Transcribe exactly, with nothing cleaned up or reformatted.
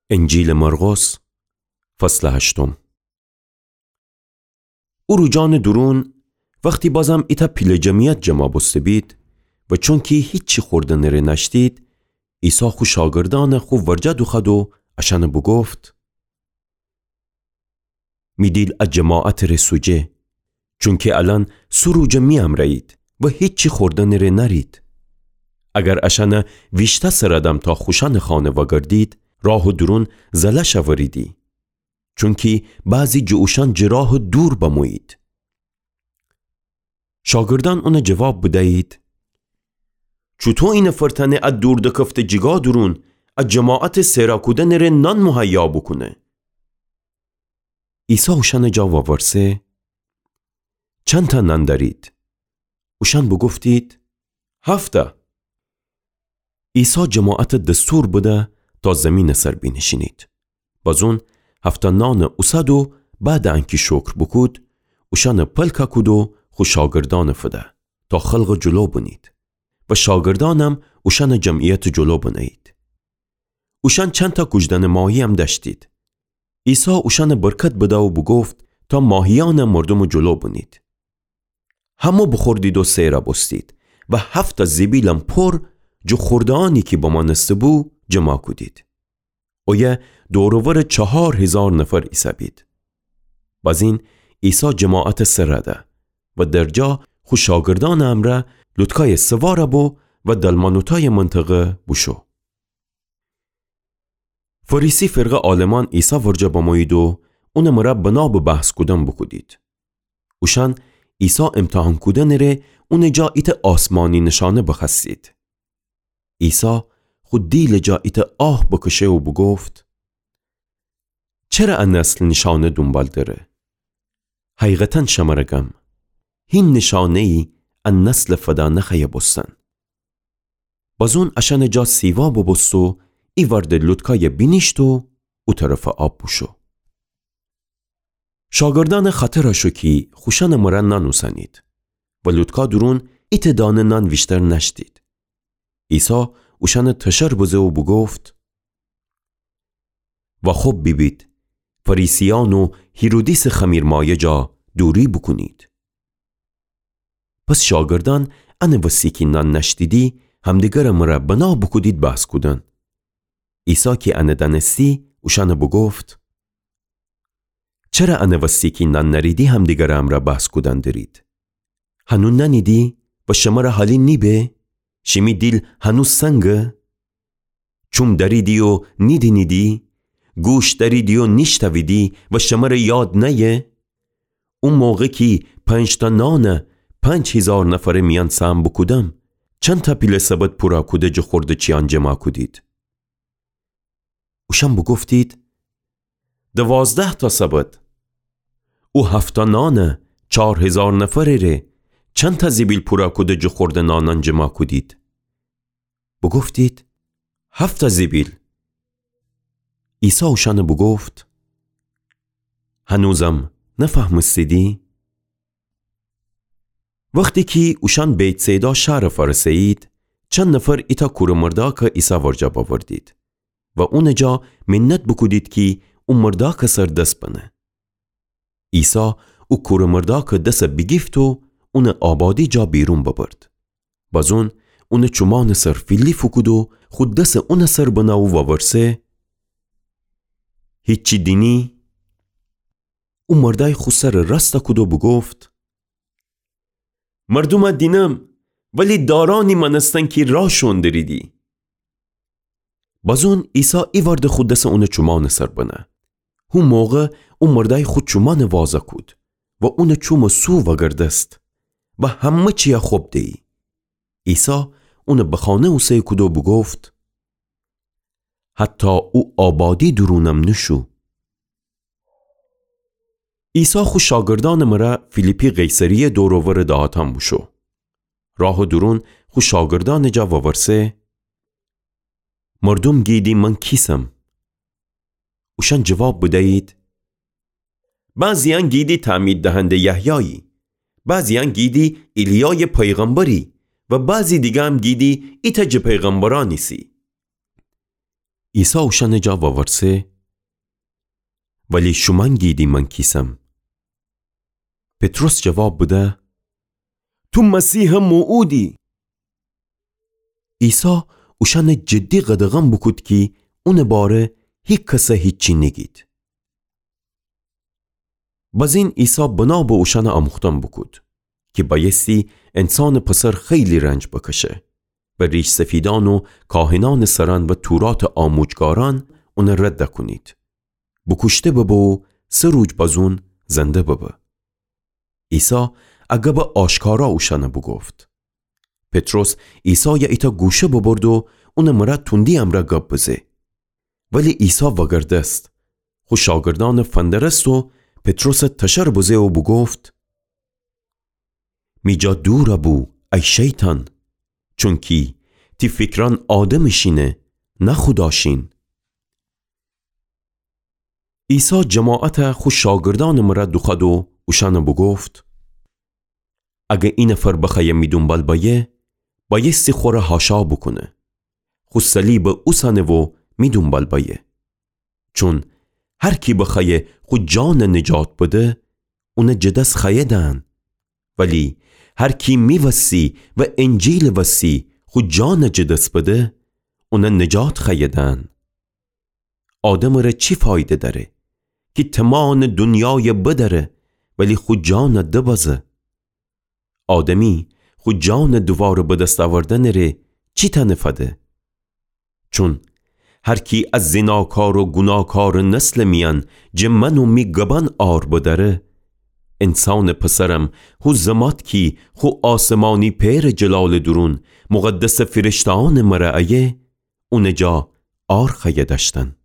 انجیلٚ مرقس، فصلٚ هشتم. او روزأنٚ دورون، وختی بازم ایتأ پیله جمعیت جمع بوسته بید و چونکی هیچی خوردنٚ ره نأشتید، عیسی خو شاگردأن خو ورجه دوخوأد و اشأن بوگفت: می دیل ا جماعتٚ ره سوجه، چونکی الأن سه روزه می امرأیید و هیچی خوردنٚ ره نأرید. اگر اشأن ویشته سر دم تا خوشأنٚ خانه وأگردید، راهٚ دورون زله شوریدی، چونکی بعضی جٚه اوشأن جٚه راه دور بمویید. شاگردأن اون جواب بدیید: چوطو اینفر تأنه ا دور دکفته جیگا دورون ا جماعتٚ سئرا کودنٚ ره نان مهیا بوکونه؟ عیسی اوشأنٚ جا وورسه: چندتأ نان دأرید؟ اوشأن بوگفتید: هفتأ. عیسی جماعت دستور بده تا زیمینٚ سر بینیشینید. بازون هفتأ نان اوسد و بعدٚ انکی شکر بوکود، اوشأن پلک کود و خو شاگردأن فده تا خلقٚ جلو بنید و شاگردأنم اوشأن جمعیتٚ جلو بنهیید. اوشأن چندتأ کوجدنٚ ماهییم دأشتید. عیسی اوشأن برکت بده و بوگفت تا ماهیأن مردومٚ جلو بنید. همه بوخوردید و سئرا بوستید و هفتأ زیبیلم پر جٚه خوردهأنی کی بمأنسته بو، جمع کودید. اویه دور و ورٚ چهار هیزار نفر ایسهبید. بازین عیسی جماعت سر ده و درجا خو شاگردأنٚ امرأ لوطکای سوار بو و دلمنوتای منطقه بوشو. فریسی فرقه عالمأن عیسی ورجه بمویید و اونٚ مره بنابٚ بحث کودن بوکودید. اوشأن عیسی امتحان کودنٚ ره اونٚ جا ایتأ آسمانی نشانه بخوأستید. عیسی خو دیلٚ جا ایتأ آه بکشه و بوگفت: چره ا نسل نیشانه دونبال دره؟ حقیقتا شمره گم، هین نیشانه‌یی ا نسلٚ فدا نخوأیه بوستن. بازون اشأنٚ جا سیوا ببوست و ایوأرده لوطکای بینیشت و او طرفٚ آب بوشو. شاگردأن خطر شو کی خوشأنٚ مره نان اوسنید و لوطکا دورون ایتأ دانه نان ویشتر نأشتید. عیسی اوشأن تشر بزه و بوگفت: واخوب بیبید، فریسیأن و هیرودیسٚ خمیرمایه جا دوری بوکونید. پس شاگردأن انٚ وسی کی نان نأشتیدی، همدیگرٚ مره بنا بوکودید بحث کودن. عیسی کی انٚ دأنستی، اوشأن بوگفت: چره انٚ وسی کی نان نأریدی همدیگرٚ امرأ بحث کودن درید؟ هنو نأنیدی و شمره حالی نیبه؟ شیمی دیل هنو سنگه؟ چوم دأریدی و نیدینیدی؟ گوش دأریدی و نیشتویدی و شمره یاد نأیه؟ او موقع کی پنج‌تأ نان پنج هیزار نفرٚ میأن سهم بوکودم، چندتأ پیله سبد پورا کوده جٚه خورده‌چیأن جمع کودید؟ اوشأن بوگفتید: دوازده‌تأ سبد. او هفت‌تأ نان چار هیزار نفرٚ ره چندتأ زیبیل پورا کوده جٚه خورده نانأن جمع کودید؟ بوگفتید: هفت‌تأ زیبیل. عیسی اوشأن بوگفت: هنوزم نفهمستیدی؟ وختی کی اوشأن بیت‌صیدا شهرٚ فأرسه‌یید، چند نفر ایتأ کورٚ مردأکٚ عیسی ورجه بأوردید و اونٚ جا منت بوکودید کی او مردأکٚ سر دس بنه. عیسی او کورٚ مردأکٚ دس بیگیفت و اونٚ آبادی جا بیرون ببرد. بازون اونٚ چومأنٚ سر فیلی فوکود و خو دس اونٚ سر بنه و وورسه: هیچی دینی؟ او مردأی خو سرٚ راست کود و بوگفت: مردوم دینم، ولی دارأنی مأنستن کی را شون دریدی. بازون عیسی ایوأرده خو دس اونٚ چومأنٚ سر بنه. هو موقع او مردأی خو چومأن واز کود و اونٚ چومٚ سو وأگردست و همه چیی خوب دیی. عیسی اونٚ به خانه اوسه کود و بوگفت: حتی او آبادی دورونم نوشو. عیسی خو شاگردأنٚ مره فیلیپی قیصریه دور و ورٚ دهاتأن بوشو. راهٚ دورون خو شاگردأنٚ جا وورسه: مردوم گیدی من کیسم؟ اوشأن جواب بدیید: بعضیأن گیدی تعمید دهنده یحیایی، بعضیأن گیدی ایلیایٚ پیغمبری و بعضی دیگه‌م گیدی ایتأ جٚه پیغمبرأن ایسی. عیسی اوشأنٚ جا وورسه: ولی شومأن گیدی من کیسم؟ پطرس جواب بده: تو مسیحٚ موعودی. عیسی اوشأنٚ جدی قدغن بوکود کی اونٚ باره هیکسَ هیچی نیگید. بزین عیسی بنا به اوشأنٚ آموختن بوکود کی بأیستی انسانٚ پسر خیلی رنج بکشه و ریش‌سفیدأن و کاهنأنٚ سرأن و توراتٚ آموجگارأن اونَ رد کونید، بوکوشته ببه و سه روج بزون زنده ببه. عیسی ا گبَ آشکارا اوشأنَ بوگفت. پطرس عیسایَ ایتأ گوشه ببرد و اونٚ مرأ توندی امرأ گب بزه. ولی عیسی وگردست، خو شاگردأنَ فندرست و پطرسَ تشر بزه و بوگفت: می جا دورَ بو، ای شیطان، چونکی تی فیکرأن آدمٚ شینه، نه خودا شین. عیسی جماعتَ خو شاگردأنٚ مرأ دوخوأد و اوشأنَ بوگفت: اگر ای نفر بخوأیه می دونبال بأیه، بأیستی خوره حاشا بوکونه، خو صلیبَ اوسأنه و می دونبال بأیه. چون هر کی بخوأیه خو جانَ نجات بده، اونَ جٚه دس خوأیه دأن. ولی هر کی می وستی و انجیلٚ وستی خو جانَ جٚه دس بده، اونَ نجات خوأیه دأن. آدمٚ ره چی فایده دأره کی تمانٚ دونیایَ بدأره ولی خو جانَ دبازه؟ آدمی خو جانٚ دوواره به دس اوردنٚ ره چی تأنه فده؟ چون هر کی از زیناکار و گوناکارٚ نسلٚ میأن جٚه من و می گبأن عار بدأره، انسانٚ پسرم هو زمات کی خو آسمانی پئرٚ جلالٚ دورون مقدسٚ فرشته‌أنٚ مرأ ایه، اونٚ جا عار خوأیه دأشتن.